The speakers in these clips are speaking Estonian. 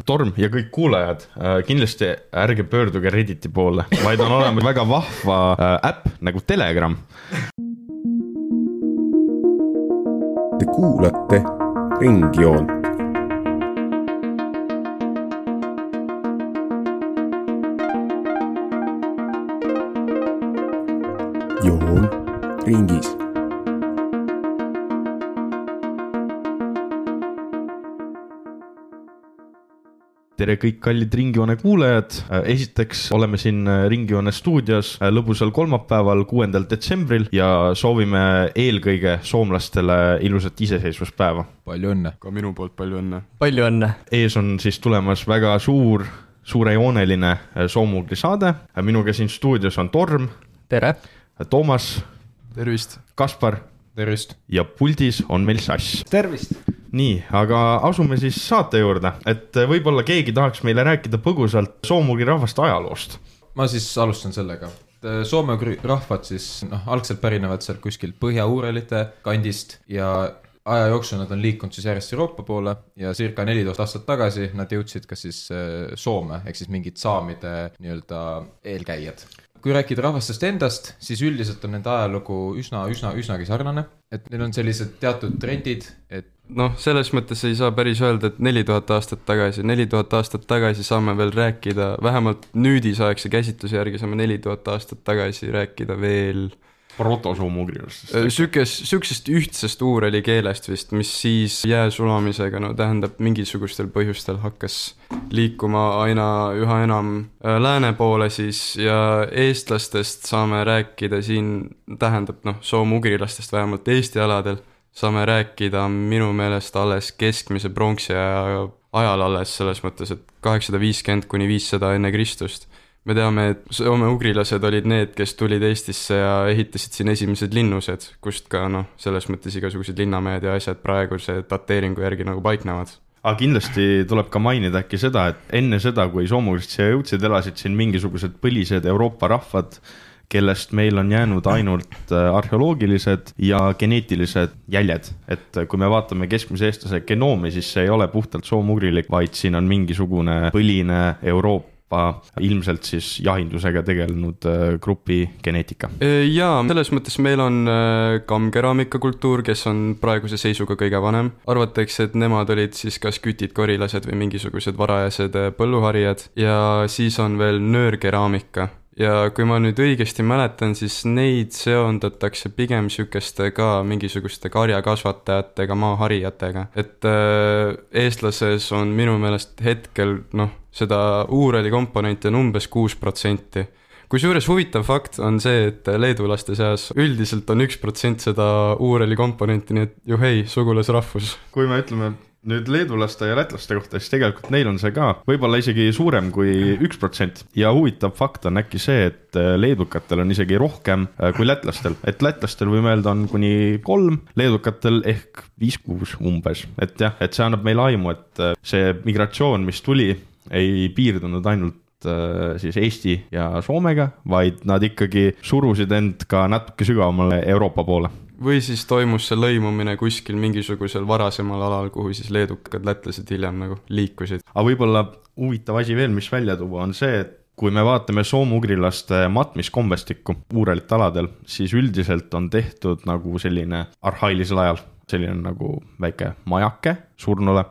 Torm ja kõik kuulajad, kindlasti ärge pöörduge Redditi poole, vaid on olemas väga vahva äpp nagu Telegram. Te kuulate Ringjoont. Joon ringis. Tere kõik kallid Ringjoone kuulajad. Esiteks oleme siin Ringjoone stuudios lõbusal kolmapäeval 6. detsembril ja soovime eelkõige soomlastele ilusat iseseisvuspäeva. Palju õnne. Ka minu poolt palju õnne. Palju õnne. Ees on siis tulemas väga suurejooneline soomugri saade. Minuga siin stuudios on Torm. Tere. Toomas. Tervist. Kaspar. Tervist. Ja puldis on meil Sass. Tervist. Nii, aga asume siis saate juurde, et võib-olla keegi tahaks meile rääkida põgusalt soomugri rahvast ajaloost. Ma siis alustan sellega. Soomugri rahvad siis algselt pärinevad sealt kuskilt Põhja-Uuralite kandist ja aja jooksul nad on liikunud siis järjest Euroopa poole ja circa 14 aastat tagasi nad jõudsid ka siis Soome, ehk siis mingid saamide nii-öelda eelkäijad. Kui rääkida rahvastest endast, siis üldiselt on nende ajalugu üsnagi sarnane, et neil on sellised teatud trendid, et selles mõttes ei saa päris öelda, et 4000 aastat tagasi saame veel rääkida, vähemalt nüüdisaegse käsitluse järgi saame 4000 aastat tagasi rääkida veel protosoomugrilast. Sükesest ühtsest uureli keelest vist, mis siis jää sulamisega, tähendab mingisugustel põhjustel hakkas liikuma üha enam lääne poole siis ja eestlastest saame rääkida siin, tähendab soomugrilastest vähemalt Eesti aladel, saame rääkida minu meelest alles keskmise pronksi ajal alles selles mõttes, et 850 kuni 500 enne Kristust. Me teame, et Soome ugrilased olid need, kes tulid Eestisse ja ehitasid siin esimesed linnused, kust ka selles mõttes igasugused linnamehed ja asjad praeguse dateeringu järgi paiknevad. Aga kindlasti tuleb ka mainida äkki seda, et enne seda, kui soomugrid siia jõudsid, elasid siin mingisugused põlised Euroopa rahvad, kellest meil on jäänud ainult arheoloogilised ja geneetilised jäljed. Et kui me vaatame keskmise eestlase genoomi, siis see ei ole puhtalt soomugrilik, vaid siin on mingisugune põline Euroopa, ilmselt siis jahindusega tegelenud grupi geneetika. Jaa, selles mõttes meil on kammkeraamika kultuur, kes on praeguse seisuga kõige vanem. Arvatakse, et nemad olid siis kas kütid, korilased või mingisugused varajased põlluharijad ja siis on veel nöörkeraamika. Ja kui ma nüüd õigesti mäletan, siis neid seondatakse pigem sükeste ka mingisuguste karjakasvatajatega, maaharijatega. Et eestlases on minu meelest hetkel seda uureli komponenti on umbes 6%. Kusjuures huvitav fakt on see, et leedulaste seas üldiselt on 1% seda uureli komponenti, nii et juhei, sugulasrahvus. Kui me ütleme nüüd leedulaste ja lätlaste kohta, siis tegelikult neil on see ka võib-olla isegi suurem kui 1%. Ja huvitav fakt on äkki see, et leedukatel on isegi rohkem kui lätlastel. Et lätlastel võime öelda on kuni 3, leedukatel ehk 5-6 umbes. Et jah, et see annab meile aimu, et see migratsioon, mis tuli, ei piirdunud ainult siis Eesti ja Soomega, vaid nad ikkagi surusid end ka natuke sügavamale Euroopa poole. Või siis toimus see lõimumine kuskil mingisugusel varasemal alal, kuhu siis leedukad lätlased hiljem liikusid. Aga võib-olla huvitav asi veel, mis välja tuua, on see, et kui me vaatame soomugrilaste matmiskombestikku uurelite aladel, siis üldiselt on tehtud nagu selline arhailisel ajal, selline nagu väike majake surnule,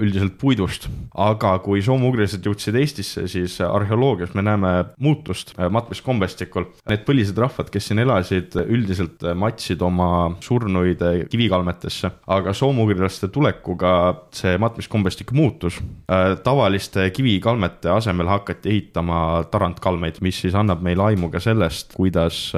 üldiselt puidust. Aga kui soomugrilased jõudsid Eestisse, siis arheoloogias me näeme muutust matmiskombestikul. Need põlised rahvad, kes siin elasid, üldiselt matsid oma surnuid kivikalmetesse, aga soomugrilaste tulekuga see matmiskombestik muutus. Tavaliste kivikalmete asemel hakati ehitama tarantkalmeid, mis siis annab meile aimu ka sellest, kuidas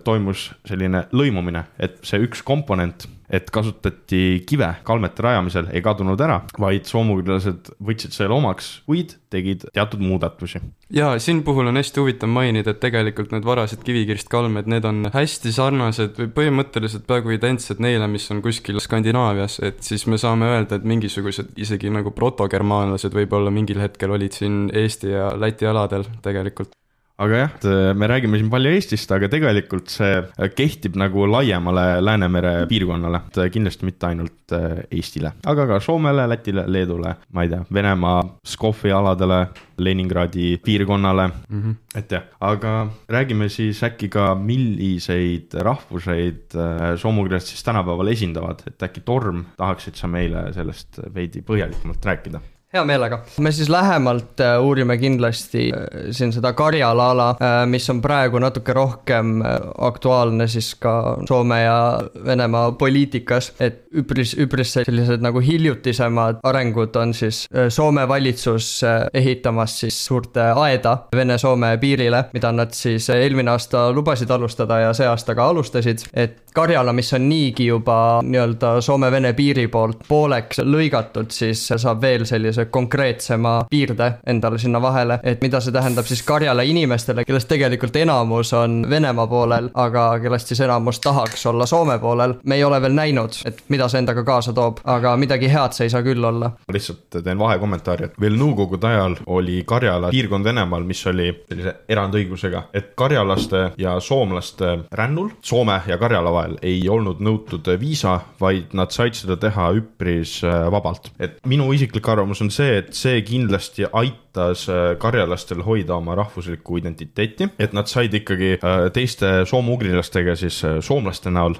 toimus selline lõimumine, et see üks komponent, et kasutati kive kalmete rajamisel, ei kadunud ära, vaid soomugrilased võtsid selle omaks, kuid tegid teatud muudatusi. Ja siin puhul on hästi huvitav mainida, et tegelikult need varased kivikirst kalmed, need on hästi sarnased või põhimõtteliselt peaaegu identsed neile, mis on kuskil Skandinaavias, et siis me saame öelda, et mingisugused isegi nagu protogermaanlased võib-olla mingil hetkel olid siin Eesti ja Läti aladel tegelikult. aga jah, me räägime siin palju Eestist, aga tegelikult see kehtib nagu laiemale Läänemere piirkonnale, kindlasti mitte ainult Eestile, aga ka Soomele, Lätile, Leedule, ma ei tea, Venemaa Pskovi aladele, Leningradi piirkonnale, et jah, aga räägime siis äkki ka, milliseid rahvuseid soomugrilased siis tänapäeval esindavad, et äkki Torm, tahaksid sa meile sellest veidi põhjalikumalt rääkida? Hea meelega. Me siis lähemalt uurime kindlasti siin seda Karjala ala, mis on praegu natuke rohkem aktuaalne siis ka Soome ja Venemaa poliitikas, et üpris sellised nagu hiljutisemad arengud on siis Soome valitsus ehitamas siis suurte aeda Vene-Soome piirile, mida nad siis eelmine aasta lubasid alustada ja see aasta ka alustasid, et Karjala, mis on niigi juba nii-öelda Soome-Vene piiri poolt pooleks lõigatud, siis saab veel sellise konkreetsema piirde endale sinna vahele, et mida see tähendab siis Karjala inimestele, kellest tegelikult enamus on Venemaa poolel, aga kellest siis enamus tahaks olla Soome poolel. Me ei ole veel näinud, et mida see endaga kaasa toob, aga midagi head see ei saa küll olla. Lihtsalt teen vahekommentaari, et veel nõukogude ajal oli Karjala piirkond Venemaal, mis oli sellise erandõigusega, et karjalaste ja soomlaste rännul Soome ja Karjala vahel ei olnud nõutud viisa, vaid nad said seda teha üpris vabalt. Et minu isiklik arvamus on see, et see kindlasti aitas karjalastel hoida oma rahvuslikku identiteeti, et nad said ikkagi teiste soome-ugrilastega siis soomlaste näol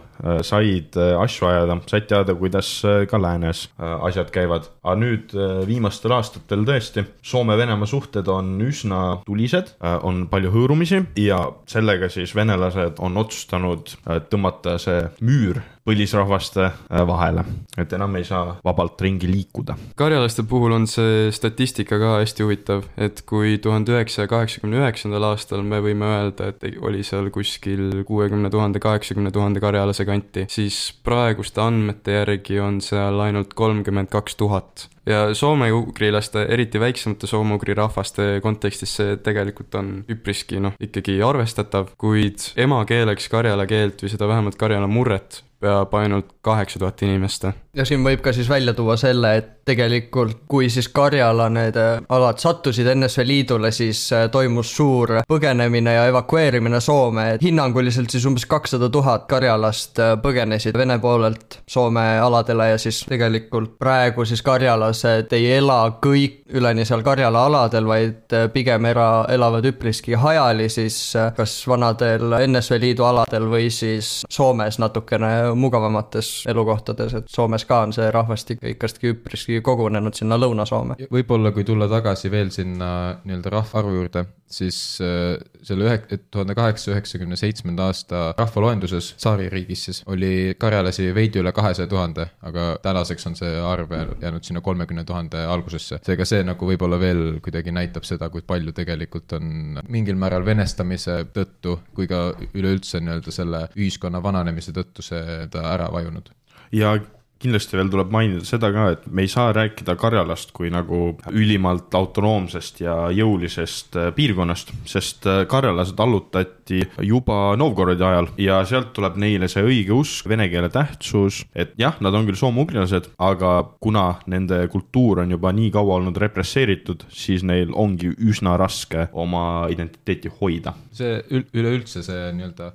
said asju ajada, said teada, kuidas ka läänes asjad käivad. Aga nüüd viimastel aastatel tõesti Soome-Venemaa suhted on üsna tulised, on palju hõõrumisi ja sellega siis venelased on otsustanud tõmmata see müür põlisrahvaste vahele, et enam ei saa vabalt ringi liikuda. Karjalaste puhul on see statistika ka hästi huvitav, et kui 1989. aastal me võime öelda, et oli seal kuskil 60 000, 80 000 karjalase kanti, siis praeguste andmete järgi on seal ainult 32 000. Ja soome-ugrilaste, eriti väiksemate soome-ugri rahvaste kontekstis see tegelikult on üpriski ikkagi arvestatav, kuid emakeeleks karjala keelt või seda vähemalt karjala murret peab ainult 8000 inimest. Ja siin võib ka siis välja tuua selle, et tegelikult kui siis Karjala need alad sattusid NSV Liidule, siis toimus suur põgenemine ja evakueerimine Soome. Hinnanguliselt siis umbes 200 000 karjalast põgenesid Vene poolelt Soome aladele ja siis tegelikult praegu siis karjalased ei ela kõik üleni seal Karjala aladel, vaid pigem elavad üpriski hajali siis kas vanadel NSV Liidu aladel või siis Soomes natukene mugavamates elukohtades, et Soomes ka on see rahvastik ikkagi üpriski kogunenud sinna Lõuna-Soome. Võib-olla kui tulla tagasi veel sinna nii-öelda rahvaarvu juurde, siis selle 1897. aasta rahvaloenduses Tsaaririigis siis oli karjalasi veidi üle 200 000, aga tänaseks on see arv jäänud sinna 30 000 algusesse. Seega see nagu võib-olla veel kuidagi näitab seda, kui palju tegelikult on mingil määral venestamise tõttu, kui ka üleüldse nii-öelda selle ühiskonna vananemise tõttu see ära vajunud. Ja kindlasti veel tuleb mainida seda ka, et me ei saa rääkida Karjalast kui nagu ülimalt autonoomsest ja jõulisest piirkonnast, sest karjalased allutati juba Novgorodi ajal ja sealt tuleb neile see õige usk, vene keele tähtsus, et jah, nad on küll soome-ugrilased, aga kuna nende kultuur on juba nii kaua olnud represseeritud, siis neil ongi üsna raske oma identiteeti hoida. See üleüldse see nii-öelda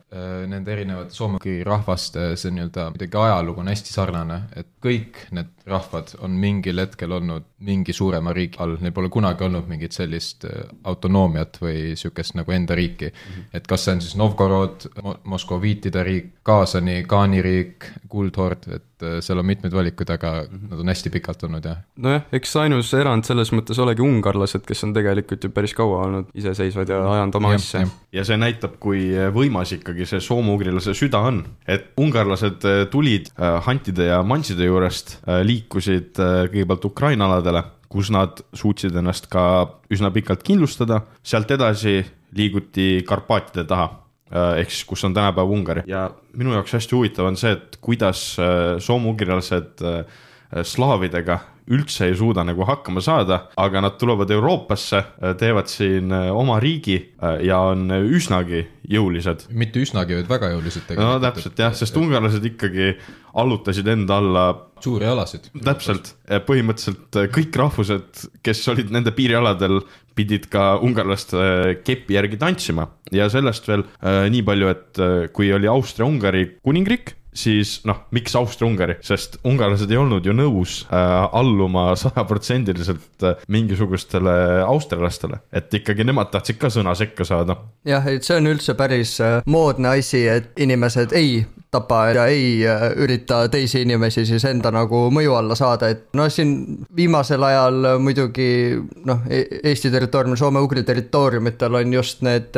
nende erinevate soome-ugri rahvaste see nii-öelda midagi ajalugu on hästi sarnane, et kõik need rahvad on mingil hetkel olnud mingi suurema riigi all, neil pole kunagi olnud mingit sellist autonoomiat või sükest nagu enda riiki. Et kas see on siis Novgorod, Moskoviitide riik, Kaasani, Kaani riik, Kuldhord, et seal on mitmed valikud, aga nad on hästi pikalt olnud, jah. Nojah, eks ainus erand selles mõttes olegi ungarlased, kes on tegelikult ju päris kaua olnud iseseisvad ja ajanud oma asja. Ja see näitab, kui võimas ikkagi see soome-ugrilase süda on. Et ungarlased tulid hantide ja manside juurest, liikusid kõigepealt Ukraina aladele, kus nad suutsid ennast ka üsna pikalt kindlustada. Sealt edasi liiguti Karpaatide taha, ehk siis kus on tänapäev Ungari. Ja minu jaoks hästi huvitav on see, et kuidas soome-ugrilased slaavidega üldse ei suuda nagu hakkama saada, aga nad tulevad Euroopasse, teevad siin oma riigi ja on üsnagi jõulised. Mitte üsnagi, vaid väga jõulised tegelikult. No täpselt jah, sest ungarlased ikkagi allutasid enda alla suuri alasid. Täpselt, põhimõtteliselt kõik rahvused, kes olid nende piirialadel, pidid ka ungarlaste kepi järgi tantsima ja sellest veel nii palju, et kui oli Austria-Ungari kuningriik, siis miks Austria-Ungari, sest ungarlased ei olnud ju nõus alluma 100% mingisugustele austrialastele, et ikkagi nemad tahtsid ka sõna sekka saada. Jah, et see on üldse päris moodne asi, et inimesed ei tapa ja ei ürita teisi inimesi siis enda nagu mõju alla saada, et siin viimasel ajal muidugi Eesti territooriumil, Soome-Ugri territooriumitel on just need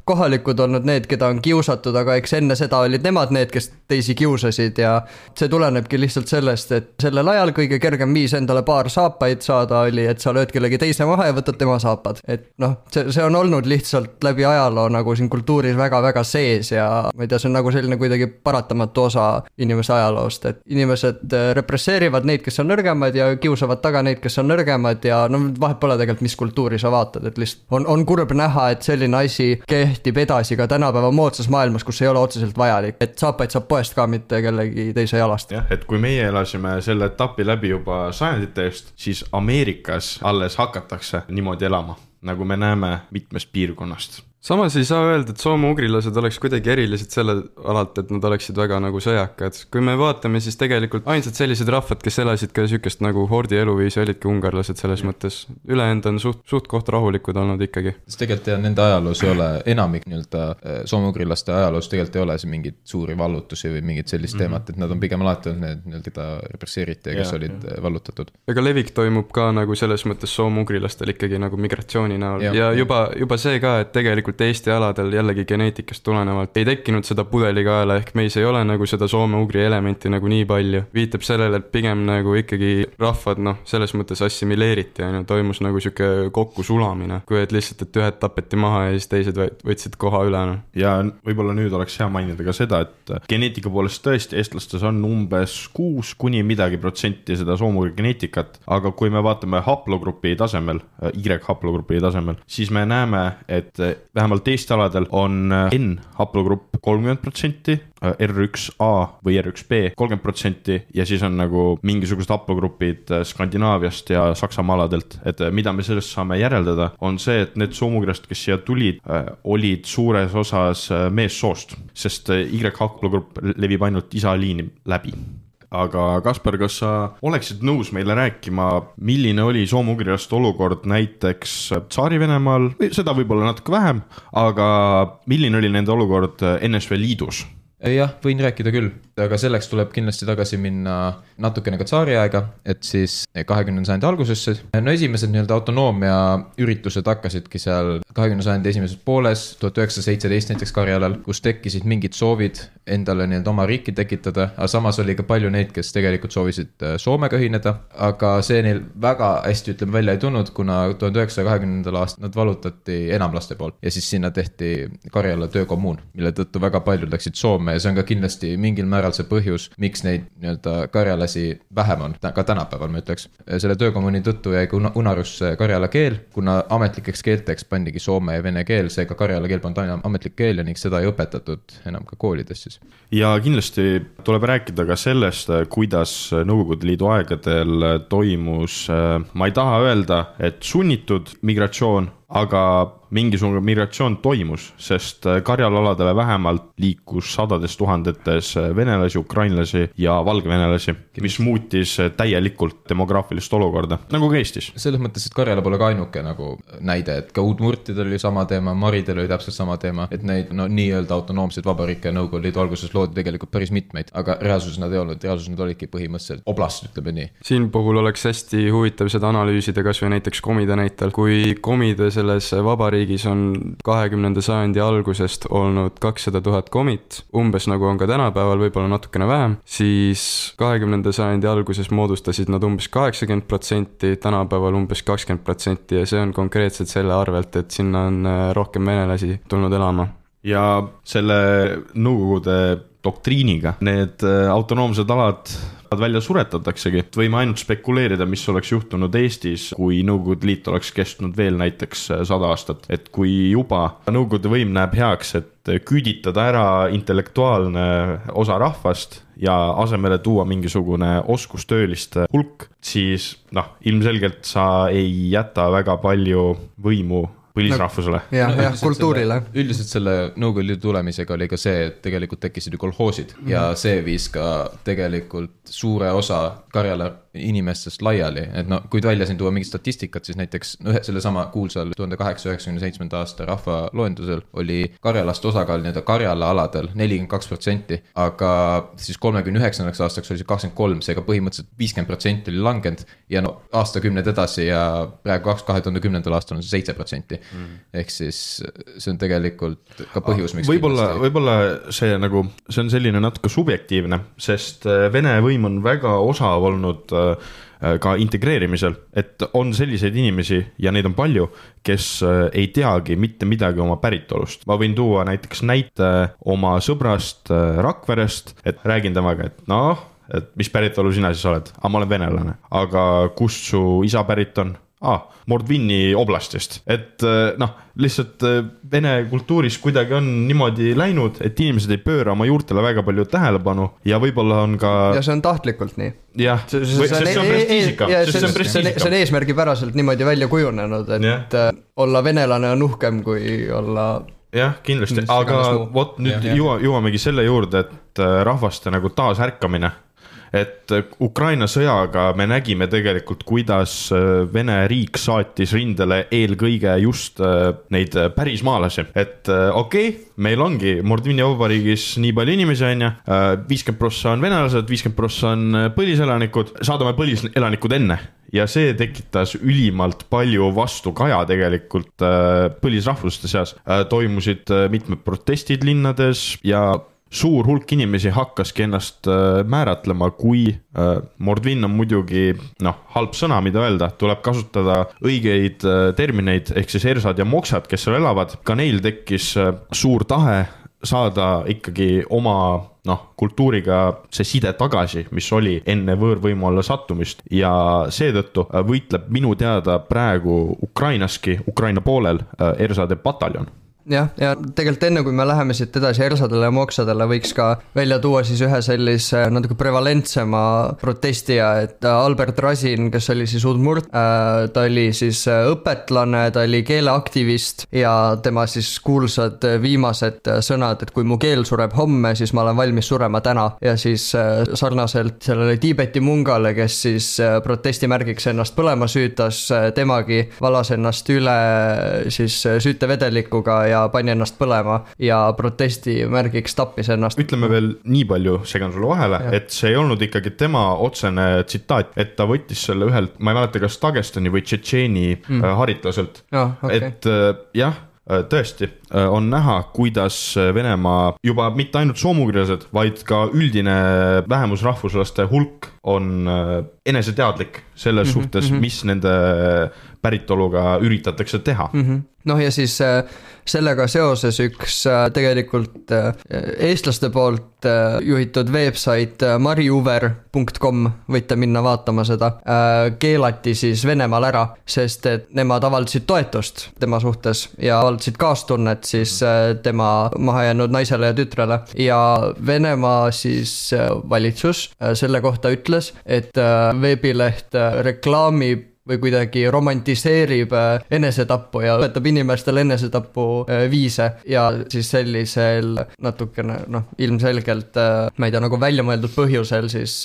kohalikud olnud need, keda on kiusatud, aga eks enne seda olid nemad need, kes teisi kiusasid ja see tulenebki lihtsalt sellest, et sellel ajal kõige kergem viis endale paar saapaid saada oli, et sa lööd kellegi teise maha ja võtad tema saapad. Et see on olnud lihtsalt läbi ajaloo nagu siin kultuuris väga-väga sees ja ma ei tea, see on nagu selline kuidagi paratamatu osa inimese ajaloost, et inimesed represseerivad neid, kes on nõrgemad ja kiusavad taga neid, kes on nõrgemad ja vahet pole tegelikult, mis kultuuri sa vaatad, et lihtsalt on kurb näha, et selline asi kehtib edasi ka tänapäeva moodsas maailmas, kus ei ole otseselt vajalik, et saapaid saab poest ka mitte kellegi teise jalast. Jah, et kui meie elasime selle etapi läbi juba sajandite eest, siis Ameerikas alles hakatakse niimoodi elama, nagu me näeme mitmest piirkonnast. Samas ei saa öelda, et soome-ugrilased oleks kuidagi erilised selle alalt, et nad oleksid väga nagu sõjakad. Kui me vaatame, siis tegelikult ainsad sellised rahvad, kes elasid ka sükest nagu hordi eluviisi, olidki ungarlased selles mõttes. Ülejäänud on suht koht rahulikud olnud ikkagi. Tegelikult nende ajaloos ei ole enamik soome-ugrilaste ajaloos tegelikult ei ole see mingid suuri vallutusi või mingid sellist teemat, et nad on pigem alati need, keda represseeriti ja kes olid vallutatud. Ega levik toimub ka nagu selles mõttes soome-ugrilastel ikkagi nagu migratsiooni näol ja juba see ka, et tegelikult Eesti aladel jällegi geneetikast tulenevalt ei tekkinud seda pudelikaela, ehk meis ei ole nagu seda soome-ugri elementi nagu nii palju. Viitab sellele, et pigem nagu ikkagi rahvad selles mõttes assimileeriti ja toimus nagu siuke kokku sulamine, kui et lihtsalt, et ühed tapeti maha ja siis teised võtsid koha üle. Ja võib-olla nüüd oleks hea mainida ka seda, et geneetika poolest tõesti eestlastes on umbes 6 kuni midagi protsenti seda soome-ugri geneetikat, aga kui me vaatame haplogrupi tasemel, Y-haplogrupi tasemel, siis me näeme, et vähemalt Eesti aladel on N-haplogrupp 30%, R1A või R1B 30% ja siis on nagu mingisugused haplogrupid Skandinaaviast ja Saksamaa aladelt, et mida me sellest saame järeldada, on see, et need soome-ugrilased, kes siia tulid, olid suures osas meessoost, sest Y-haplogrupp levib ainult isaliini läbi. Aga Kaspar, kas sa oleksid nõus meile rääkima, milline oli soome-ugrilaste olukord näiteks Tsaari-Venemaal, seda võib-olla natuke vähem, aga milline oli nende olukord NSV Liidus? Jah, võin rääkida küll, aga selleks tuleb kindlasti tagasi minna natukene ka tsaari aega, et siis 20. sajandi algusesse. Esimesed autonoomia üritused hakkasidki seal 20. sajandi esimeses pooles, 1917 näiteks Karjalal, kus tekkisid mingid soovid endale oma riiki tekitada, aga samas oli ka palju neid, kes tegelikult soovisid Soomega ühineda, aga see neil väga hästi välja ei tulnud, kuna 1920. aastal nad vallutati enamlaste poolt ja siis sinna tehti Karjala töökommuun, mille tõttu väga paljud läksid Soome ja see on ka kindlasti mingil määral see põhjus, miks neid karjalasi vähem on, ka tänapäeval ma ütleks. Selle töökommuuni tõttu jäi unarusse karjala keel, kuna ametlikeks keelteks pandigi soome ja vene keel, seega karjala keel polnud aina ametlik keel ja ning seda ei õpetatud enam ka koolides siis. Ja kindlasti tuleb rääkida ka sellest, kuidas Nõukogude Liidu aegadel toimus, ma ei taha öelda, et sunnitud migratsioon, aga mingisugune migratsioon toimus, sest Karjala-aladele vähemalt liikus sadades tuhandetes venelasi, ukrainlasi ja valgevenelasi, mis muutis täielikult demograafilist olukorda, nagu ka Eestis. Selles mõttes, et Karjala pole ka ainuke nagu näide, et ka Uudmurtidel oli sama teema, Maridel oli täpselt sama teema, et neid nii-öelda autonoomseid vabariike Nõukogude Liidu alguses loodi tegelikult päris mitmeid, aga reaalsus nad ei olnud, reaalsus nad olidki põhimõtteliselt oblast, ütleme nii. Siin puhul oleks hästi huvitav seda analüüsida kas või näiteks komide näitel, kui komide selles vabariigis on 20. sajandi algusest olnud 200 000 komit, umbes nagu on ka tänapäeval, võib-olla natukene vähem, siis 20. sajandi alguses moodustasid nad umbes 80%, tänapäeval umbes 20% ja see on konkreetselt selle arvelt, et sinna on rohkem venelasi tulnud elama. ja selle nõukogude doktriiniga need autonoomsed alad välja suretataksegi. Võime ainult spekuleerida, mis oleks juhtunud Eestis, kui Nõukogude Liit oleks kestnud veel näiteks 100 aastat. Et kui juba Nõukogude võim näeb heaks, et küüditada ära intellektuaalne osa rahvast ja asemele tuua mingisugune oskustööliste hulk, siis ilmselgelt sa ei jäta väga palju võimu põlisrahvusele. Jah, kultuurile. Üldiselt selle Nõukogude Liidu tulemisega oli ka see, et tegelikult tekkisid ju kolhoosid ja see viis ka tegelikult suure osa Karjala inimestest laiali, et kui välja siin tuua mingi statistikat, siis näiteks selle sama kuulsal 1897. aasta rahvaloendusel oli karjalaste osakaal nii-öelda Karjala aladel 42%, aga siis 39. aastaks oli see 23%, seega põhimõtteliselt 50% oli langenud ja aastakümned edasi ja praegu 2010. aastal on see 7%. Ehk siis see on tegelikult ka põhjus, miks võib-olla see on selline natuke subjektiivne, sest Vene võim on väga osav olnud ka integreerimisel, et on selliseid inimesi ja neid on palju, kes ei teagi mitte midagi oma päritolust. Ma võin tuua näiteks näite oma sõbrast Rakverest, et räägin temaga, et mis päritolu sina siis oled? Ma olen venelane, aga kust su isa pärit on? Mordvini oblastist. Et lihtsalt Vene kultuuris kuidagi on niimoodi läinud, et inimesed ei pööra oma juurtele väga palju tähelepanu ja võib-olla on ka... Ja see on tahtlikult nii. Jah, see on prestiisika. See on eesmärgipäraselt niimoodi välja kujunenud, et olla venelane on uhkem kui olla... Jah, kindlasti, aga nüüd jõuamegi selle juurde, et rahvaste taasärkamine. Et Ukraina sõjaga me nägime tegelikult, kuidas Vene riik saatis rindele eelkõige just neid pärismaalasi. Et meil ongi Mordvini vabariigis nii palju inimesi on 50% on venelased, 50% on põliselanikud, saadame põliselanikud enne. Ja see tekitas ülimalt palju vastukaja tegelikult põlisrahvuste seas. Toimusid mitmed protestid linnades ja suur hulk inimesi hakkaski ennast määratlema, kui Mordvin on muidugi halb sõna, mida öelda, tuleb kasutada õigeid termineid, ehk siis ersad ja moksad, kes seal elavad. Ka neil tekkis suur tahe saada ikkagi oma kultuuriga see side tagasi, mis oli enne võõrvõimu alla sattumist ja seetõttu võitleb minu teada praegu Ukrainaski, Ukraina poolel ersade pataljon. Ja tegelikult enne kui me läheme siit edasi ersadele ja moksadele võiks ka välja tuua siis ühe sellise natuke prevalentsema protestija, et Albert Rasin, kes oli siis udmurt, ta oli siis õpetlane, ta oli keeleaktivist ja tema siis kuulsad viimased sõnad, et kui mu keel sureb homme, siis ma olen valmis surema täna ja siis sarnaselt sellele Tiibeti mungale, kes siis protestimärgiks ennast põlema süütas, temagi valas ennast üle siis süütevedelikuga ja pani ennast põlema ja protesti märgiks tappis ennast. Ütleme veel nii palju, segan sulle vahele, et see ei olnud ikkagi tema otsene tsitaat, et ta võttis selle ühelt, ma ei mäleta, kas Dagestani või Tšetšeeni haritlaselt. Et jah, tõesti on näha, kuidas Venemaa juba mitte ainult soomugrilased, vaid ka üldine vähemusrahvuslaste hulk on eneseteadlik selles suhtes, mis nende päritoluga üritatakse teha. Ja siis sellega seoses üks tegelikult eestlaste poolt juhitud website mariuver.com, võite minna vaatama seda, keelati siis Venemaal ära, sest et nemad avaldasid toetust tema suhtes ja avaldasid kaastunnet siis tema mahajäänud naisele ja tütrele ja Venemaa siis valitsus selle kohta ütles, et veebileht reklaamib või kuidagi romantiseerib enesetappu ja õpetab inimestele enesetapu viise ja siis sellisel natukene, ilmselgelt, ma ei tea, välja mõeldud põhjusel siis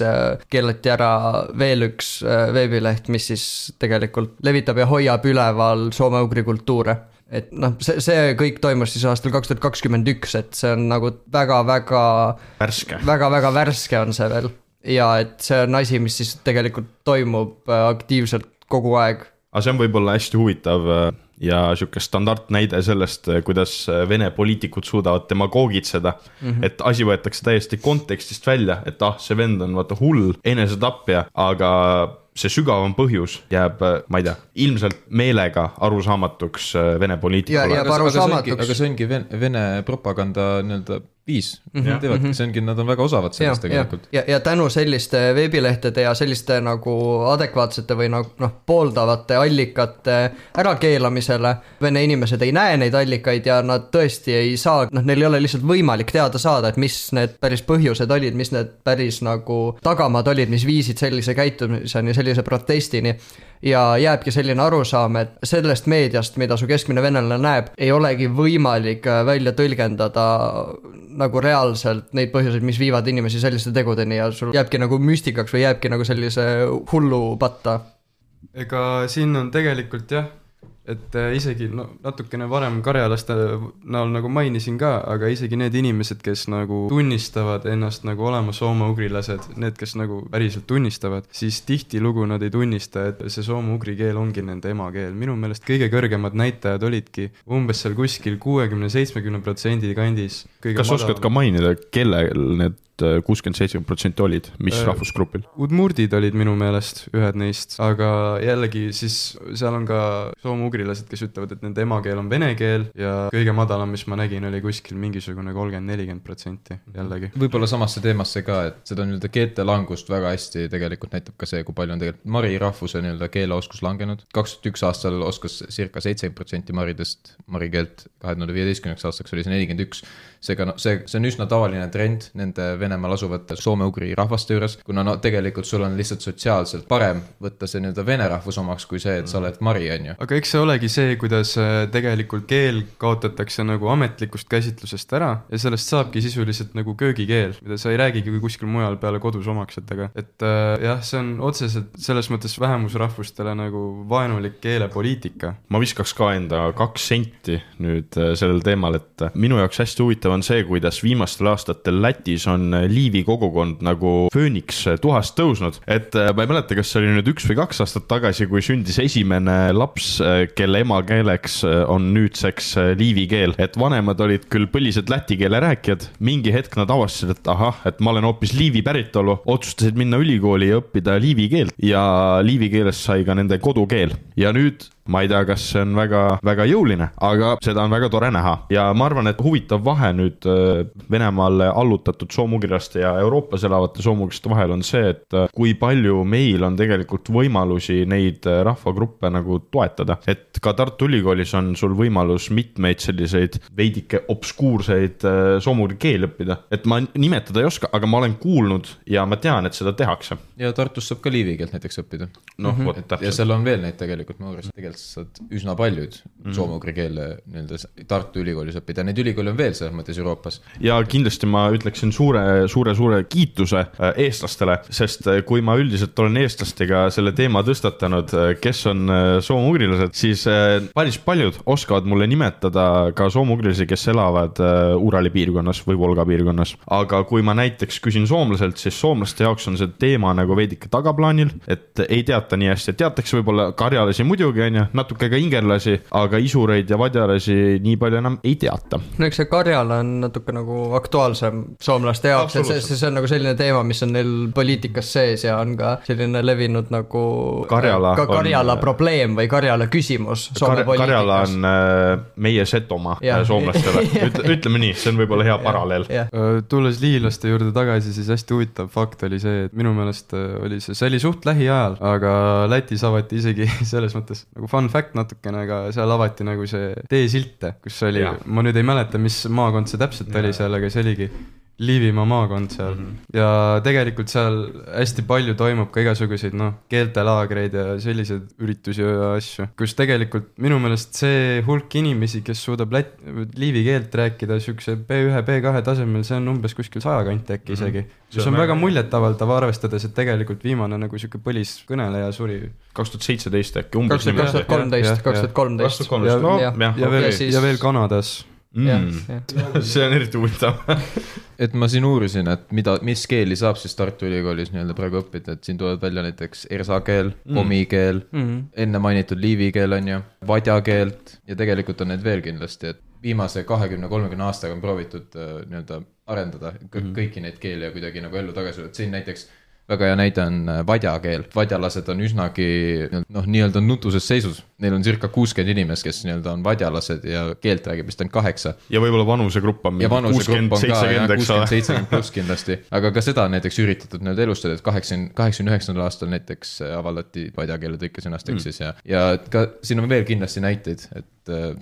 keelati ära veel üks veebileht, mis siis tegelikult levitab ja hoiab üleval soome-ugri kultuure. Et see kõik toimus siis aastal 2021, et see on väga-väga väga-väga värske on see veel ja et see on asi, mis siis tegelikult toimub aktiivselt kogu aeg. Aga see on võib-olla hästi huvitav ja siuke standardnäide sellest, kuidas Vene poliitikud suudavad demagoogitseda, et asi võetakse täiesti kontekstist välja, et see vend on vaata hull enesetapja, aga see sügavam põhjus jääb, ma ei tea, ilmselt meelega arusaamatuks Vene poliitikule. Aga see ongi Vene propaganda nii-öelda viis. See ongi, nad on väga osavad sellest tegelikult. Ja tänu selliste veebilehtede ja selliste nagu adekvaatsete või nagu pooldavate allikate ärakeelamisele Vene inimesed ei näe neid allikaid ja nad tõesti ei saa, neil ei ole lihtsalt võimalik teada saada, et mis need päris põhjused olid, mis need päris nagu tagamad olid, mis viisid sellise käitumiseni, sellise protestini ja jääbki selline arusaam, et sellest meediast, mida su keskmine venelane näeb, ei olegi võimalik välja tõlgendada nagu reaalselt neid põhjuseid, mis viivad inimesi selliste tegudeni ja sul jääbki nagu müstikaks või jääbki nagu sellise hullu patta. Ega siin on tegelikult jah, et isegi natukene varem karjalaste näol nagu mainisin ka, aga isegi need inimesed, kes nagu tunnistavad ennast nagu olema soome-ugrilased, need, kes nagu päriselt tunnistavad, siis tihtilugu nad ei tunnista, et see soome-ugri keel ongi nende emakeel. Minu meelest kõige kõrgemad näitajad olidki umbes seal kuskil 60-70% kandis. Kas oskad ka mainida, kellel need 67% olid, mis rahvusgrupil? Udmurdid olid minu meelest ühed neist, aga jällegi siis seal on ka soome-ugrilased, kes ütlevad, et nende emakeel on vene keel ja kõige madalam, mis ma nägin, oli kuskil mingisugune 30-40% jällegi. Võib-olla samasse teemasse ka, et seda nii-öelda keelte langust väga hästi tegelikult näitab ka see, kui palju on tegelikult mari rahvuse nii-öelda keeleoskus langenud. 2001 aastal oskas circa 70% maridest marikeelt, 2015 aastaks oli see 41%. Seega see on üsna tavaline trend nende Venemaal asuvate soome-ugri rahvaste juures, kuna tegelikult sul on lihtsalt sotsiaalselt parem võtta see nii-öelda vene rahvus omaks kui see, et sa oled mari, on ju. Aga eks see olegi see, kuidas tegelikult keel kaotatakse nagu ametlikust käsitlusest ära ja sellest saabki sisuliselt nagu köögikeel, mida sa ei räägigi kui kuskil mujal peale kodus omaksetega. Et jah, see on otseselt selles mõttes vähemusrahvustele nagu vaenulik keelepoliitika. Ma viskaks ka enda 2 senti nüüd sellel teemal, et minu jaoks hästi huvitav on see, kuidas viimastel aastatel Lätis on liivi kogukond nagu fööniks tuhast tõusnud. Et ma ei mäleta, kas see oli nüüd 1 või 2 aastat tagasi, kui sündis esimene laps, kelle emakeeleks on nüüdseks liivi keel. Et vanemad olid küll põlised läti keele rääkijad, mingi hetk nad avastasid, et et ma olen hoopis liivi päritolu, otsustasid minna ülikooli ja õppida liivi keelt ja liivi keelest sai ka nende kodukeel. Ja nüüd ma ei tea, kas see on väga, väga jõuline, aga seda on väga tore näha. Ja ma arvan, et huvitav vahe nüüd Venemaale allutatud soomugrilaste ja Euroopas elavate soomugrilaste vahel on see, et kui palju meil on tegelikult võimalusi neid rahvagruppe nagu toetada. Et ka Tartu Ülikoolis on sul võimalus mitmeid selliseid veidike obskuurseid soomugri keel õppida. Et ma nimetada ei oska, aga ma olen kuulnud ja ma tean, et seda tehakse. Ja Tartus saab ka liivi keelt näiteks õppida. Ja seal on veel neid tegelikult, ma uurisin tegelikult saad üsna paljud soome-ugri keele Tartu ülikoolis õppida. Neid ülikooli on veel selles mõttes Euroopas. Ja kindlasti ma ütleksin suure kiituse eestlastele, sest kui ma üldiselt olen eestlastega selle teema tõstatanud, kes on soome-ugrilased, siis päris paljud oskavad mulle nimetada ka soome-ugrilasi, kes elavad Urali piirkonnas või Volga piirkonnas. Aga kui ma näiteks küsin soomlaselt, siis soomlaste jaoks on see teema nagu veidike tagaplaanil, et ei teata nii hästi, et teatakse võib-olla karjalasi muidugi, natuke ka ingerlasi, aga isureid ja vadjalasi nii palju enam ei teata. No eks see Karjala on natuke nagu aktuaalsem soomlaste jaoks, et see on nagu selline teema, mis on neil poliitikas sees ja on ka selline levinud nagu Karjala probleem või Karjala küsimus Soome poliitikas. Karjala on meie Setomaa soomlastele. Ütleme nii, see on võib-olla hea paralleel. Tulles liilaste juurde tagasi, siis hästi huvitav fakt oli see, et minu meelest oli see oli suht lähiajal, aga Lätis avati isegi selles mõttes nagu fun fact natukene, aga seal avati nagu see teesilte, kus oli, ma nüüd ei mäleta, mis maakond see täpselt oli seal, aga see oligi Liivimaa maakond seal ja tegelikult seal hästi palju toimub ka igasuguseid keeltelaagreid ja selliseid üritusi ja asju, kus tegelikult minu meelest see hulk inimesi, kes suudab liivi keelt rääkida sükse B1, B2 tasemel, see on umbes kuskil 100 kanti äkki isegi, mis on väga muljetavaldav arvestades, et tegelikult viimane nagu süke põliskõneleja suri 2017 äkki umbes 2013 ja veel Kanadas See on eriti huvitav. Et ma siin uurisin, et mis keeli saab siis Tartu Ülikoolis nii-öelda praegu õppida, et siin tulevad välja näiteks ersa keel, komi keel, enne mainitud liivi keel on ju, vadja keelt ja tegelikult on need veel kindlasti, et viimase 20-30 aastaga on proovitud nii-öelda arendada kõiki neid keeli ja kuidagi nagu ellu tagasi, et siin näiteks väga hea näide on vadja keel. Vadjalased on üsnagi nii-öelda nutuses seisus. Neil on circa 60 inimest, kes nii-öelda on vadjalased ja keelt räägib vist on 8. Ja võib-olla vanusegrupp on 60-70 pluss kindlasti. Aga ka seda näiteks üritatud nii-öelda elustada, et 89. aastal näiteks avaldati vadja keele tõike sõnast eksis ja ka siin on veel kindlasti näiteid, et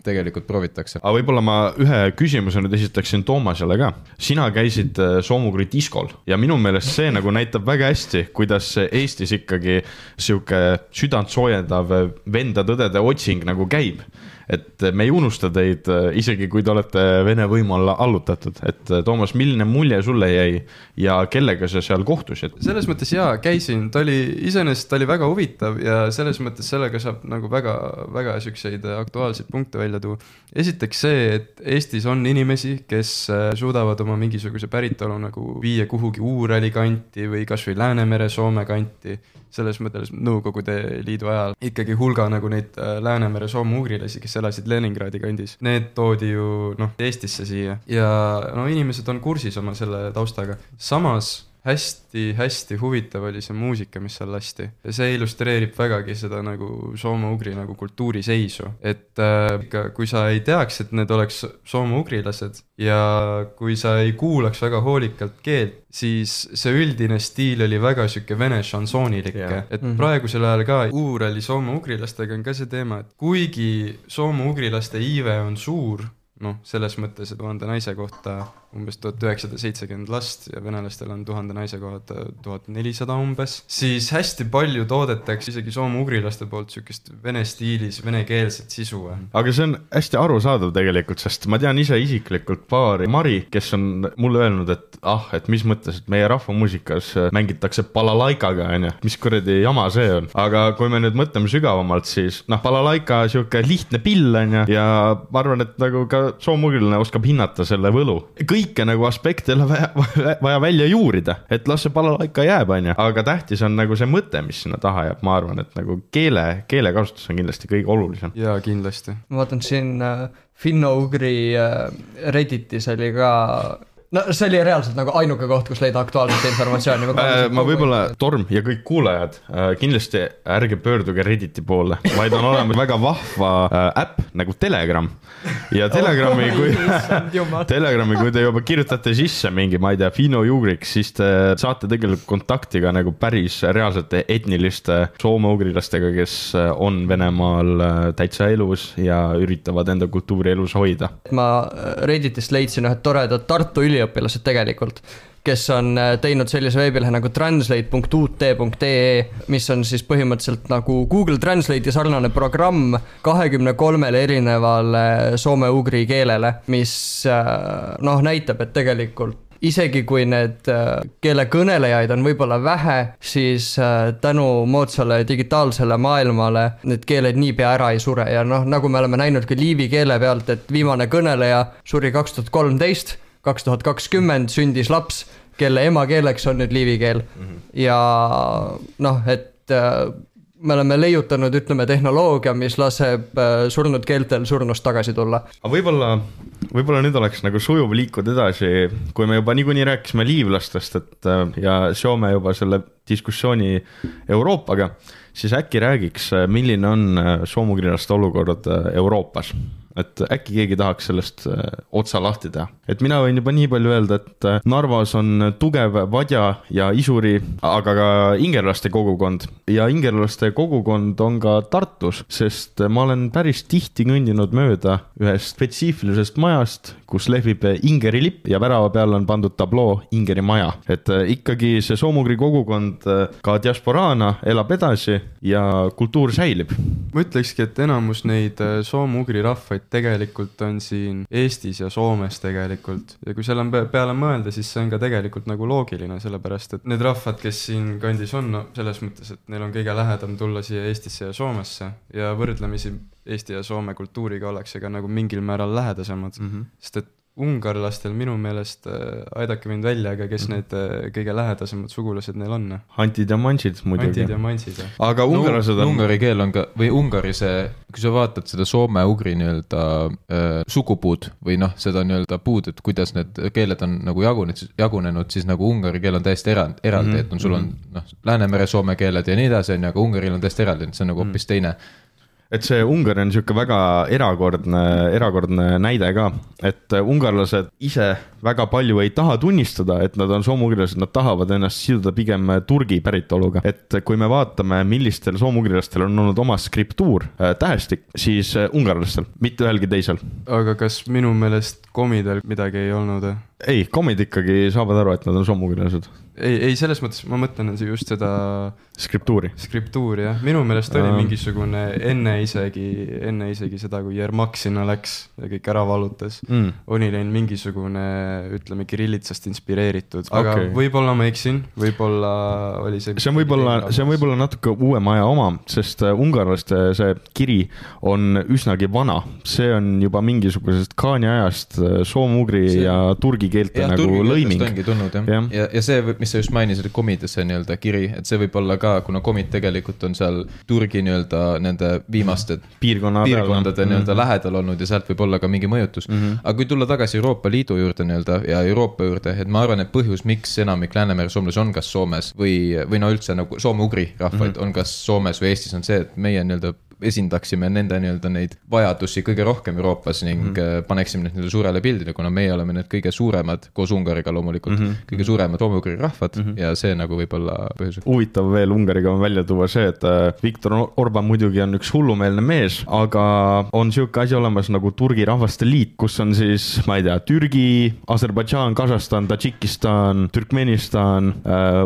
tegelikult proovitakse. Aga võib-olla ma ühe küsimuse nüüd esitaksin Toomasele ka. Sina käisid soomugri diskol ja minu meelest see nagu näitab väga hästi, kuidas Eestis ikkagi siuke südant soojendav venda-tõdede otsing nagu käib. Et me ei unusta teid, isegi kui te olete Vene võimu alla allutatud. Et Toomas, milline mulje sulle jäi ja kellega sa seal kohtusid? Selles mõttes käisin, ta oli väga huvitav ja selles mõttes sellega saab nagu väga sükseid aktuaalseid punkte välja tuua. Esiteks see, et Eestis on inimesi, kes suudavad oma mingisuguse päritolu nagu viia kuhugi Uurali kanti või kas või Läänemere Soome kanti. Selles mõttes Nõukogude Liidu ajal ikkagi hulga nagu neid Läänemere soome-ugrilasi, kes elasid Leningradi kandis. Need toodi ju Eestisse siia ja inimesed on kursis oma selle taustaga. Samas hästi huvitav oli see muusika, mis seal lasti. Ja see illustreerib vägagi seda nagu soome-ugri nagu kultuuriseisu. Et kui sa ei teaks, et need oleks soome-ugrilased ja kui sa ei kuulaks väga hoolikalt keelt, siis see üldine stiil oli väga süke vene šansoonilik. Et praegusel ajal ka Uurali soome-ugrilastega on ka see teema, et kuigi soome-ugrilaste iive on suur, selles mõttes 1000 naise kohta umbes 1970 last ja venelastel on 1000 naise kohta 1400 umbes, siis hästi palju toodetakse isegi soome-ugrilaste poolt sükest vene stiilis, venekeelset sisu. Aga see on hästi arusaadav tegelikult, sest ma tean ise isiklikult paari Mari, kes on mulle öelnud, et mis mõttes, et meie rahvamuusikas mängitakse balalaikaga, mis kuradi jama see on. Aga kui me nüüd mõtleme sügavamalt, siis balalaika siuke lihtne pill on ja ma arvan, et nagu ka soome-ugrilane oskab hinnata selle võlu. Kõike nagu aspekte vaja välja juurida, et las see balalaika jääb, aga tähtis on nagu see mõte, mis sinna taha jääb. Ma arvan, et nagu keele kasutus on kindlasti kõige olulisem. Jaa, kindlasti. Ma vaatan siin Finno-Ugri Redditis oli ka... see oli reaalselt nagu ainuke koht, kus leida aktuaalset informatsiooni. Ma võib-olla, Torm ja kõik kuulajad, kindlasti ärge pöörduge Redditi poole, vaid on olemas väga vahva äpp nagu Telegram. Ja Telegrami, kui te juba kirjutate sisse mingi, ma ei tea, Finno-Ugriks, siis te saate tegelikult kontaktiga nagu päris reaalsete etniliste soome-ugrilastega, kes on Venemaal täitsa elus ja üritavad enda kultuuri elus hoida. Ma Redditist leidsin ühed toredad Tartu üliõpilased tegelikult, kes on teinud sellise veebilehe nagu translate.ut.ee, mis on siis põhimõtteliselt nagu Google Translate sarnane programm 23 erinevale soome-ugri keelele, mis näitab, et tegelikult isegi kui need keele kõnelejaid on võib-olla vähe, siis tänu moodsale digitaalsele maailmale need keeled niipea ära ei sure ja nagu me oleme näinud ka liivi keele pealt, et viimane kõneleja suri 2013, 2020 sündis laps, kelle emakeeleks on nüüd liivi keel. Ja et me oleme leiutanud, ütleme, tehnoloogia, mis laseb surnud keeltel surnust tagasi tulla. Aga võib-olla nüüd oleks nagu sujuv liikud edasi, kui me juba niikuinii rääkisime liivlastest ja seome juba selle diskussiooni Euroopaga, siis äkki räägiks, milline on soomugrilaste olukord Euroopas. Et äkki keegi tahaks sellest otsa lahti teha. Et mina võin juba nii palju öelda, et Narvas on tugev vadja ja isuri, aga ka ingerlaste kogukond. Ja ingerlaste kogukond on ka Tartus, sest ma olen päris tihti kõndinud mööda ühest spetsiifilisest majast, kus lehvib Ingeri lipp ja värava peal on pandud tabloo Ingeri maja. Et ikkagi see soomugri kogukond ka diasporaana elab edasi ja kultuur säilib. Ma ütlekski, et enamus neid soomugri rahvaid tegelikult on siin Eestis ja Soomes tegelikult. Ja kui seal on peale mõelda, siis see on ka tegelikult nagu loogiline, sellepärast, et need rahvad, kes siin kandis on, no selles mõttes, et neil on kõige lähedam tulla siia Eestisse ja Soomesse ja võrdlemisi Eesti ja Soome kultuuriga ollakse ka nagu mingil määral lähedasemad, sest et ungarlastel minu meelest, aidake mind välja, aga kes need kõige lähedasemad sugulased neil on? Antid ja mansid muidugi. Antid ja mansid. Aga ungarlased on... Ungari keel on ka, või Ungari see, kui sa vaatad seda soome-ugri nii-öelda sugupuud või noh, seda nii-öelda puud, et kuidas need keeled on nagu jagunenud, siis nagu ungari keel on täiesti eraldi, et sul on Läänemere soome keeled ja nii edasi, aga Ungaril on täiesti eraldi, see on nagu hoopis teine. Et see Ungari on niisugune väga erakordne näide ka, et ungarlased ise väga palju ei taha tunnistada, et nad on soomugrilased, nad tahavad ennast siduda pigem Turgi päritoluga. Et kui me vaatame, millistel soomugrilastel on olnud oma skriptuur, tähestik, siis ungarlastel, mitte ühelgi teisel. Aga kas minu meelest komidel midagi ei olnud? Ei, komid ikkagi saavad aru, et nad on soomugrilased. Ei, selles mõttes ma mõtlen just seda skriptuuri, jah. Minu meelest oli mingisugune enne isegi seda, kui Jermak sinna läks ja kõik ära valutas. Oli neil mingisugune, ütleme, kirillitsast inspireeritud. Aga võib-olla ma eksin, võib-olla oli see... See on võib-olla natuke uuem aja oma, sest ungarlaste see kiri on üsnagi vana. See on juba mingisugusest Kaani ajast soomugri ja turgi keelte nagu lõiming. Ja turgi tulnud, jah. Ja see, mis sa just mainisid, komides see nii-öelda kiri, et see võib olla ka, kuna komid tegelikult on seal Turgi nii-öelda nende viimaste piirkondade nii-öelda lähedal olnud ja sealt võib olla ka mingi mõjutus. Aga kui tulla tagasi Euroopa Liidu juurde nii-öelda ja Euroopa juurde, et ma arvan, et põhjus, miks enamik Läänemere soomlasi on kas Soomes või no üldse nagu soome-ugri rahvaid on kas Soomes või Eestis on see, et meie nii-öelda esindaksime nende nii-öelda neid vajadusi kõige rohkem Euroopas ning paneksime need suurele pildile, kuna meie oleme need kõige suuremad, koos Ungariga loomulikult, kõige suuremad soome-ugri rahvad ja see nagu võib olla põhjus. Huvitav veel Ungariga on välja tuua see, et Viktor Orban muidugi on üks hullumeelne mees, aga on siuke asi olemas nagu Turgi rahvaste liit, kus on siis, ma ei tea, Türgi, Aserbaidžaan, Kasahstan, Tadžikistan, Türkmenistan,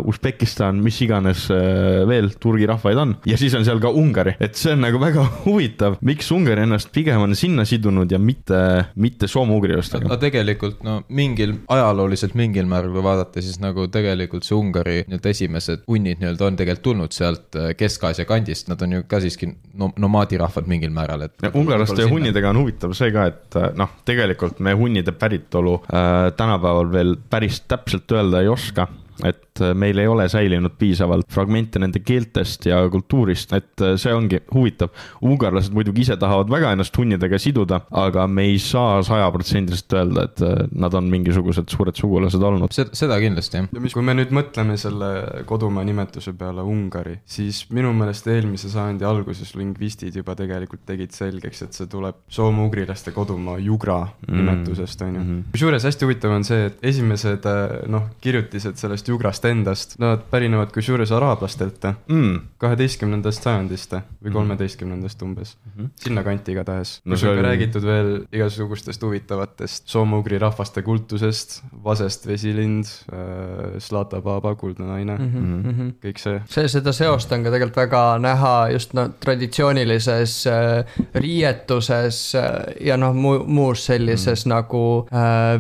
Usbekistan, mis iganes veel Turgi rahvaid on ja siis on seal ka Ungari, et see on nagu väga huvitav, miks Ungari ennast pigem on sinna sidunud ja mitte soome-ugrilastega. Tegelikult ajalooliselt mingil määral kui vaadata, siis nagu tegelikult see Ungari esimesed hunnid on tegelikult tulnud sealt Kesk-Aasia kandist, nad on ju ka siiski nomaadirahvad mingil määral. Ungarlaste ja hunnidega on huvitav see ka, et tegelikult me hunnide päritolu tänapäeval veel päris täpselt öelda ei oska. Et meil ei ole säilinud piisavalt fragmente nende keeltest ja kultuurist, et see ongi huvitav. Ungarlased muidugi ise tahavad väga ennast hunnidega siduda, aga me ei saa 100% öelda, et nad on mingisugused suured sugulased olnud. Seda kindlasti, jah. Kui me nüüd mõtleme selle kodumaa nimetuse peale Ungari, siis minu meelest eelmise sajandi alguses lingvistid juba tegelikult tegid selgeks, et see tuleb soome-ugrilaste kodumaa Jugra nimetusest, on ju. Kusjuures hästi huvitav on see, et esimesed kirjutised sellest Jugrast endast, nad pärinevad kusjuures araablastelt 12. sajandist või 13. umbes. Sinna kanti igatahes. Kus on ka räägitud veel igasugustest huvitavatest soome-ugri rahvaste kultusest, Vasest vesilind, Slata Baba, kuldne naine, kõik see. Seda seost on ka tegelikult väga näha just traditsioonilises riietuses ja muus sellises nagu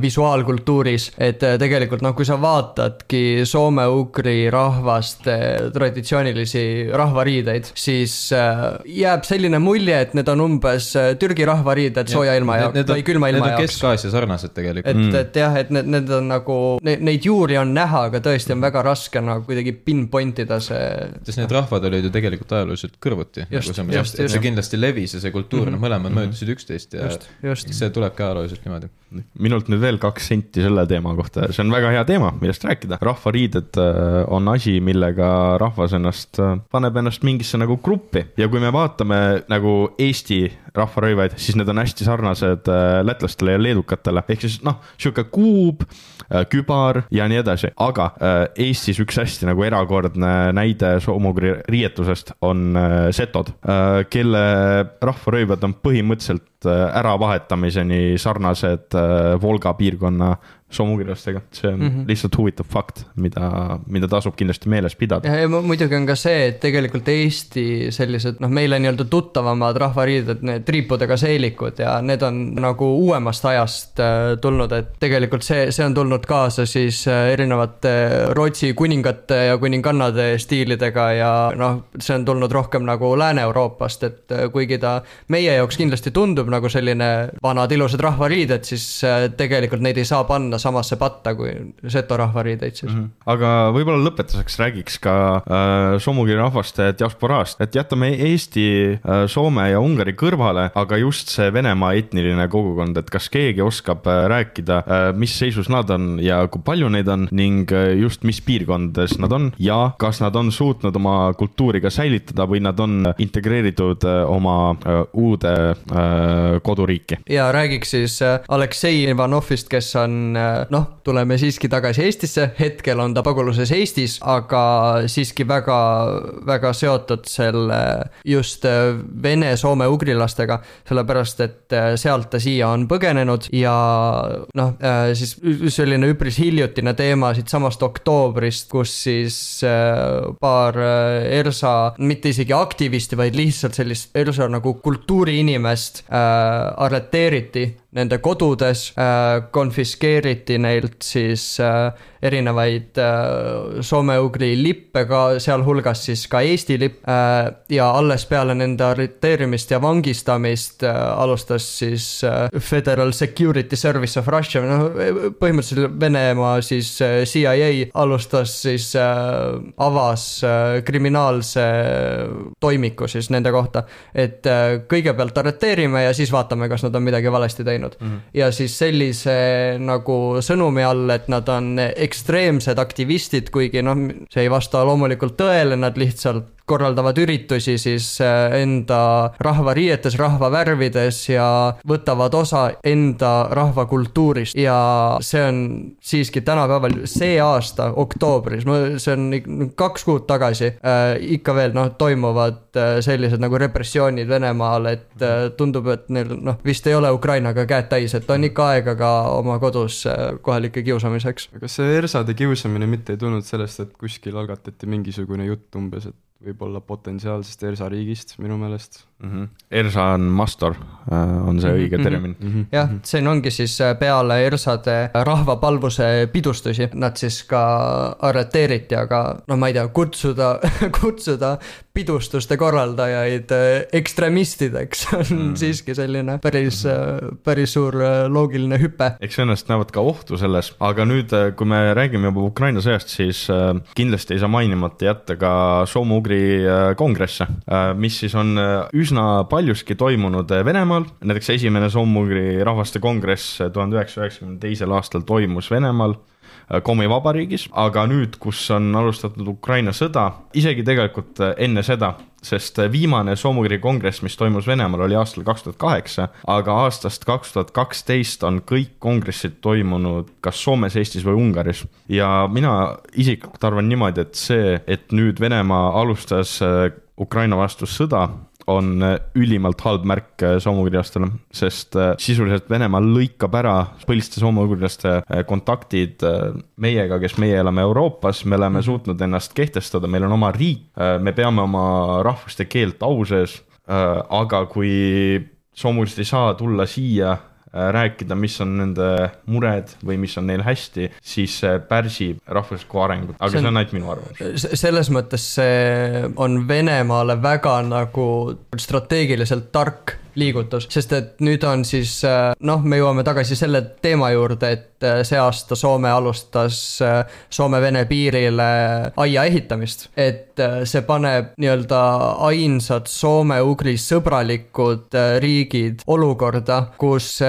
visuaalkultuuris, et tegelikult kui sa vaatadki soome-ugri rahvaste traditsioonilisi rahvariideid, siis jääb selline mulje, et need on umbes Türgi rahvariided sooja ilma või külma ilma jaoks. Need on Kesk-Aasia sarnased tegelikult. Et jah, et need on nagu, neid juuri on näha, aga tõesti on väga raske nagu kuidagi pinpointida see. Sest need rahvad olid ju tegelikult ajalooliselt kõrvuti. See kindlasti levis ja see kultuur, mõlemad möödusid üksteist ja see tuleb ka ajalooliselt niimoodi. Minult nüüd veel 2 senti selle teema kohta. See on väga hea teema, millest rääkida. Rahvariided on asi, millega rahvas paneb ennast mingisse nagu gruppi ja kui me vaatame nagu Eesti rahvarõivaid, siis need on hästi sarnased lätlastele ja leedukatele, ehk siis siuke kuub, kübar ja nii edasi, aga Eestis üks hästi nagu erakordne näide soomugri riietusest on setod, kelle rahvarõivad on põhimõtteliselt äravahetamiseni sarnased Volga piirkonna soomugrilastega. See on lihtsalt huvitav fakt, mida tasub kindlasti meeles pidada. Ja muidugi on ka see, et tegelikult Eesti sellised, meile nii-öelda tuttavamad rahvariided, triipudega seelikud ja need on nagu uuemast ajast tulnud, et tegelikult see on tulnud kaasa siis erinevate Rootsi kuningate ja kuningannade stiilidega ja noh, see on tulnud rohkem nagu Lääne-Euroopast, et kuigi ta meie jaoks kindlasti tundub nagu selline vanad ilusad rahvariided, siis tegelikult neid ei saa panna samasse patta kui seto rahvariideid siis. Aga võib-olla lõpetuseks räägiks ka soomugri rahvaste diasporaast, et jätame Eesti, Soome ja Ungari kõrvale, aga just see Venemaa etniline kogukond, et kas keegi oskab rääkida, mis seisus nad on ja kui palju neid on ning just mis piirkondades nad on ja kas nad on suutnud oma kultuuri ka säilitada või nad on integreeritud oma uude koduriiki. Ja räägiks siis Aleksei Ivanovist, kes on, tuleme siiski tagasi Eestisse, hetkel on ta paguluses Eestis, aga siiski väga, väga seotud selle just vene-soome ugrilastega, sellepärast et sealt ta siia on põgenenud ja siis selline üpris hiljutine teema siit samast oktoobrist, kus siis paar ERSA, mitte isegi aktivisti, vaid lihtsalt sellist ERSA nagu kultuuriinimest arreteeriti nende kodudes, konfiskeeriti neilt siis erinevaid soome-ugri lippe, ka sealhulgas siis ka Eesti lipp ja alles peale nende arreteerimist ja vangistamist alustas siis Federal Security Service of Russia, põhimõtteliselt Venemaa siis CIA alustas siis avas kriminaalse toimiku siis nende kohta, et kõigepealt arreteerime ja siis vaatame, kas nad on midagi valesti teinud. Ja siis sellise nagu sõnumi all, et nad on ekstreemsed aktivistid, kuigi see ei vasta loomulikult tõele, nad lihtsalt korraldavad üritusi siis enda rahvariietes, rahvavärvides ja võtavad osa enda rahvakultuurist ja see on siiski tänapäeval see aasta oktoobris, see on 2 kuud tagasi, ikka veel toimuvad sellised nagu repressioonid Venemaal, et tundub, et neil vist ei ole Ukrainaga käed täis, et on ikka aega ka oma kodus kohalike kiusamiseks. Aga see ERSA-de kiusamine mitte ei tulnud sellest, et kuskil algatati mingisugune jutt umbes, et võib-olla potentsiaalsest ERSA riigist minu meelest. ERSA on mastor, on see õige termin. Jah, see ongi siis peale ERSA-de rahvapalvuse pidustusi, nad siis ka arreteeriti, aga ma ei tea, kutsuda pidustuste korraldajaid ekstremistideks on siiski selline päris suur loogiline hüpe. Eks ennast näevad ka ohtu selles, aga nüüd, kui me räägime juba Ukraina sõjast, siis kindlasti ei saa mainimata jätta ka soome-ugri kongresse, mis siis on üsna paljuski toimunud Venemaal. Näiteks esimene soome-ugri rahvaste kongress 1992. aastal toimus Venemaal, Komi vabariigis, aga nüüd, kus on alustatud Ukraina sõda, isegi tegelikult enne seda, sest viimane soome-ugri kongress, mis toimus Venemaal, oli aastal 2008, aga aastast 2012 on kõik kongressid toimunud kas Soomes, Eestis või Ungaris. Ja mina isiklikult arvan niimoodi, et see, et nüüd Venemaa alustas Ukraina vastu sõda, on ülimalt halb märk soome-ugrilastele, sest sisuliselt Venemaa lõikab ära põhiliste soome-ugrilaste kontaktid meiega, kes meie elame Euroopas, me oleme suutnud ennast kehtestada, meil on oma riik, me peame oma rahvuste keelt au sees, aga kui soome-ugrilased ei saa tulla siia rääkida, mis on nende mured või mis on neil hästi, siis pärsib rahvuslikku arengut, aga see on ainult minu arvamus. Selles mõttes see on Venemaale väga nagu strateegiliselt tark liigutus, sest et nüüd on siis, me jõuame tagasi selle teema juurde, et see aasta Soome alustas Soome-Vene piirile aia ehitamist, et see paneb nii-öelda ainsad Soome-Ugri sõbralikud riigid olukorda, kus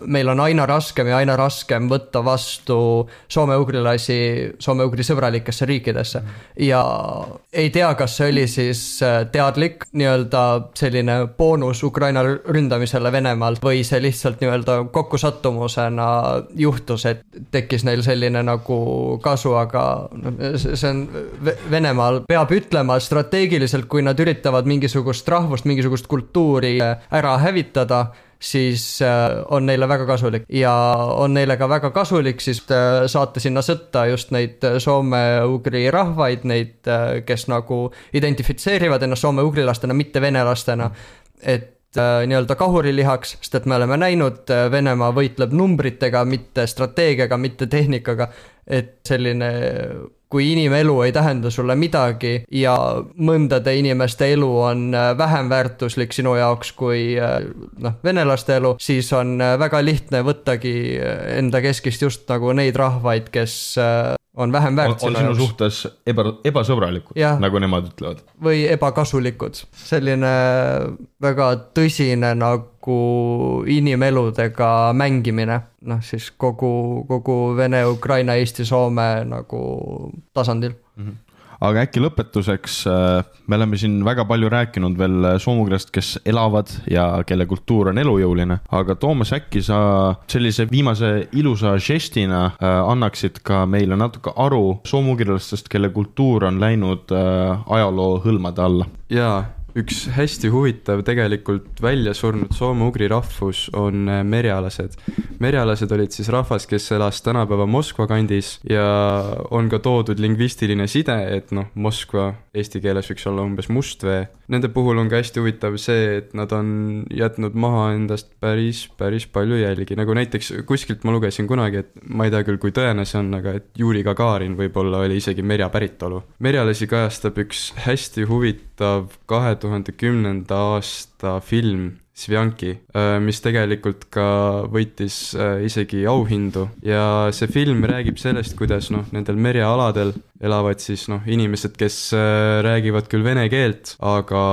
meil on aina raskem võtta vastu soome-ugrilasi Soome-Ugri sõbralikesse riikidesse ja ei tea, kas see oli siis teadlik nii-öelda selline boonus Ukraina ründamisele Venemaalt või see lihtsalt nii-öelda kokkusattumusena juhtus, et tekkis neil selline nagu kasu, aga see on Venemaal peab ütlema strateegiliselt, kui nad üritavad mingisugust rahvust, mingisugust kultuuri ära hävitada, siis on neile väga kasulik ja on neile ka väga kasulik siis saata sinna sõtta just neid soome-ugri rahvaid, neid, kes nagu identifitseerivad ennast soome-ugrilastena, mitte venelastena, et nii-öelda kahurilihaks, sest et me oleme näinud, Venemaa võitleb numbritega, mitte strateegiaga, mitte tehnikaga, et selline, kui inimelu ei tähenda sulle midagi ja mõndade inimeste elu on vähem väärtuslik sinu jaoks kui venelaste elu, siis on väga lihtne võttagi enda keskist just nagu neid rahvaid, kes on vähem väärt on sinu suhtes ebasõbralikud, nagu nemad ütlevad. Või ebakasulikud. Selline väga tõsine nagu inimeludega mängimine, siis kogu Vene, Ukraina, Eesti, Soome nagu tasandil. Aga äkki lõpetuseks, me oleme siin väga palju rääkinud veel soomugrilast, kes elavad ja kelle kultuur on elujõuline, aga Toomas, äkki sa sellise viimase ilusa žestina annaksid ka meile natuke aru soomugrilastest, kelle kultuur on läinud ajaloo hõlmade alla? Jaa, üks hästi huvitav tegelikult välja surnud soome-ugri rahvus on merjalased. Merjalased olid siis rahvas, kes elas tänapäeva Moskva kandis ja on ka toodud lingvistiline side, et Moskva eesti keeles võiks olla umbes Mustvee. Nende puhul on ka hästi huvitav see, et nad on jätnud maha endast päris palju jälgi. Nagu näiteks kuskilt ma lugesin kunagi, et ma ei tea küll, kui tõene see on, aga et Juri Gagarin võib-olla oli isegi merja päritolu. Merjalasi kajastab üks hästi huvitav 2010. aasta film Svianki, mis tegelikult ka võitis isegi auhindu ja see film räägib sellest, kuidas nendel merjaaladel elavad siis inimesed, kes räägivad küll vene keelt, aga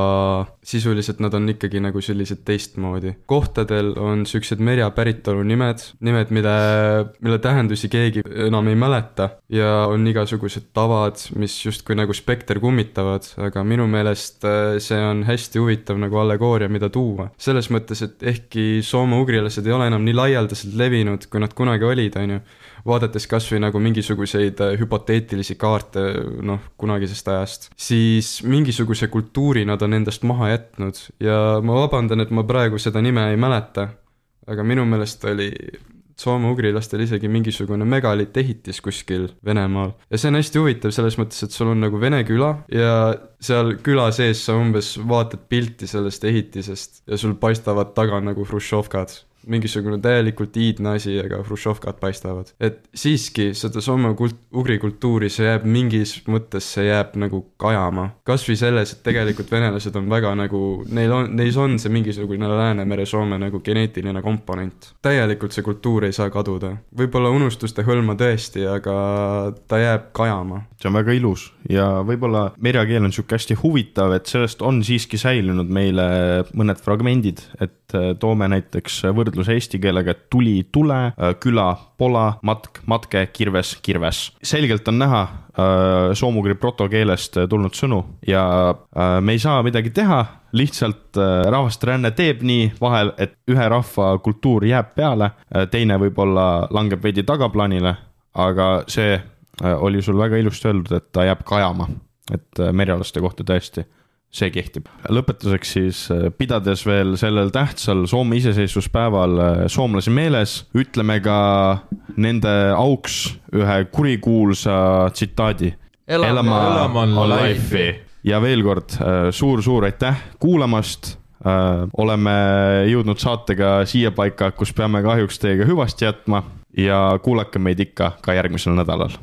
sisuliselt nad on ikkagi nagu sellised teistmoodi. Kohtadel on sellised merja päritolu nimed, mille tähendusi keegi enam ei mäleta ja on igasugused tavad, mis justkui nagu spekter kummitavad, aga minu meelest see on hästi huvitav nagu allegooria, mida tuua. Selles mõttes, et ehkki soome-ugrilased ei ole enam nii laialdaselt levinud, kui nad kunagi olid, vaadates kas või nagu mingisuguseid hüpoteetilisi kaarte kunagisest ajast, siis mingisuguse kultuuri nad on endast maha jätnud ja ma vabandan, et ma praegu seda nime ei mäleta, aga minu meelest oli soome-ugrilastel isegi mingisugune megalittehitis kuskil Venemaal. Ja see on hästi huvitav selles mõttes, et sul on nagu Vene küla ja seal küla sees sa umbes vaatad pilti sellest ehitisest ja sul paistavad taga nagu hruštšovkad. Mingisugune täielikult iidne asi, aga hruštšovkad paistavad. Et siiski seda soome-ugri kultuuri see jääb mingis mõttes, see jääb nagu kajama. Kas või selles, et tegelikult venelased on väga nagu, neis on see mingisugune Läänemere Soome nagu geneetiline komponent. Täielikult see kultuur ei saa kaduda. Võib-olla unustuste hõlma tõesti, aga ta jääb kajama. See on väga ilus ja võib-olla merjakeel on siuke hästi huvitav, et sellest on siiski säilinud meile mõned fragmendid, et toome näiteks võrdluse eesti keelega tuli, tule, küla, pola, matk, matke, kirves, kirves. Selgelt on näha soomugri protokeelest tulnud sõnu ja me ei saa midagi teha, lihtsalt rahvaste ränne teeb nii vahel, et ühe rahva kultuur jääb peale, teine võib-olla langeb veidi tagaplaanile, aga see oli sul väga ilusti öeldud, et ta jääb kajama, et merjalaste kohta tõesti see kehtib. Lõpetuseks siis, pidades veel sellel tähtsal Soome iseseisvuspäeval soomlasi meeles, ütleme ka nende auks ühe kurikuulsa tsitaadi. Elaman life'i. Ja veel kord suur aitäh kuulamast. Oleme jõudnud saatega siia paika, kus peame kahjuks teiega hüvasti jätma ja kuulake meid ikka ka järgmisel nädalal.